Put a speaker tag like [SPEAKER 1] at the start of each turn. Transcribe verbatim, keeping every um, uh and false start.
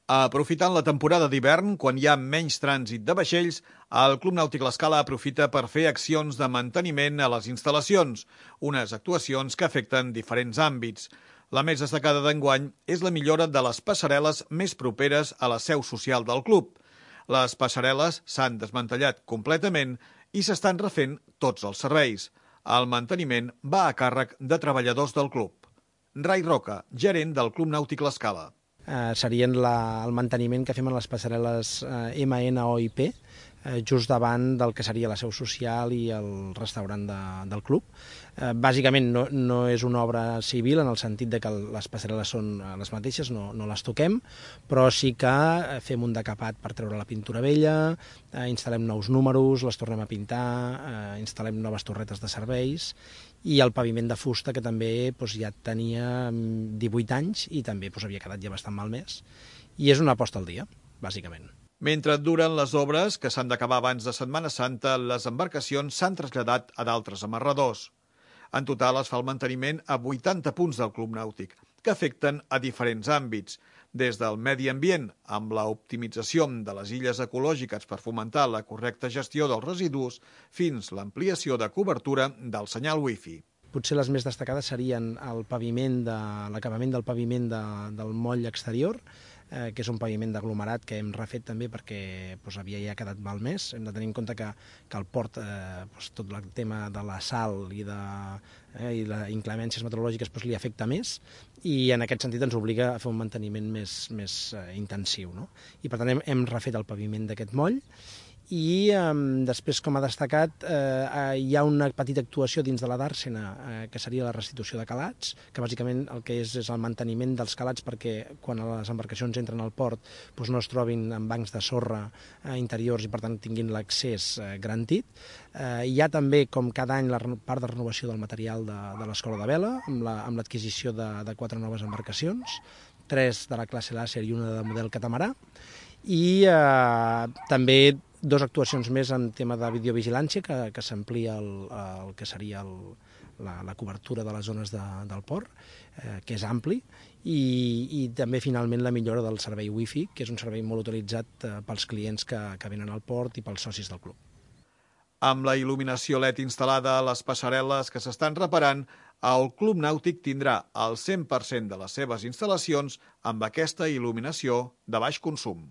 [SPEAKER 1] Aprofitant la temporada d'hivern, quan hi ha menys trànsit de vaixells, el Club Nàutic L'Escala aprofita per fer accions de manteniment a les instal·lacions, unes actuacions que afecten diferents àmbits. La més destacada d'enguany és la millora de les passarel·les més properes a la seu social del club. Les passarel·les s'han desmantellat completament i s'estan refent tots els serveis. El manteniment va a càrrec de treballadors del club. Rai Roca, gerent del Club Nàutic L'Escala.
[SPEAKER 2] Eh, serien la, el manteniment que fem en les passarel·les eh, M N O I P, eh, just davant del que seria la seu social i el restaurant de, del club. Eh, bàsicament no, no és una obra civil en el sentit de que les passarel·les són les mateixes, no, no les toquem, però sí que fem un decapat per treure la pintura vella, eh, instal·lem nous números, les tornem a pintar, eh, instal·lem noves torretes de serveis i el paviment de fusta, que també doncs, ja tenia divuit anys i també doncs, havia quedat ja bastant malmès. I és una aposta al dia, bàsicament.
[SPEAKER 1] Mentre duren les obres, que s'han d'acabar abans de Setmana Santa, les embarcacions s'han traslladat a d'altres amarradors. En total es fa el manteniment a vuitanta punts del Club Nàutic, que afecten a diferents àmbits, des del medi ambient, amb l'optimització de les illes ecològiques per fomentar la correcta gestió dels residus, fins l'ampliació de cobertura del senyal wifi.
[SPEAKER 2] Potser les més destacades serien el paviment de l'acabament del paviment de, del moll exterior, eh, que és un paviment d'aglomerat que hem refet també perquè doncs, havia ja quedat malmès. Hem de tenir en compte que, que el port, eh, doncs, tot el tema de la sal i de eh, i les inclemències meteorològiques doncs, li afecta més i en aquest sentit ens obliga a fer un manteniment més, més eh, intensiu. No? I per tant hem, hem refet el paviment d'aquest moll. I eh, després, com ha destacat, eh, hi ha una petita actuació dins de la dàrsena, eh, que seria la restitució de calats, que bàsicament el que és és el manteniment dels calats perquè quan les embarcacions entren al port doncs no es trobin en bancs de sorra eh, interiors i per tant tinguin l'accés eh, garantit. Eh, hi ha també, com cada any, la part de renovació del material de, de l'escola de vela, amb l'adquisició la, de, de quatre noves embarcacions, tres de la classe Làser i una de model catamarà, i eh, també dos actuacions més en tema de videovigilància, que, que s'amplia el, el que seria el, la, la cobertura de les zones de, del port, eh, que és ampli, i, i també finalment la millora del servei wifi, que és un servei molt utilitzat eh, pels clients que, que venen al port i pels socis del club.
[SPEAKER 1] Amb la il·luminació L E D instal·lada a les passarel·les que s'estan reparant, el Club Nàutic tindrà el cent per cent de les seves instal·lacions amb aquesta il·luminació de baix consum.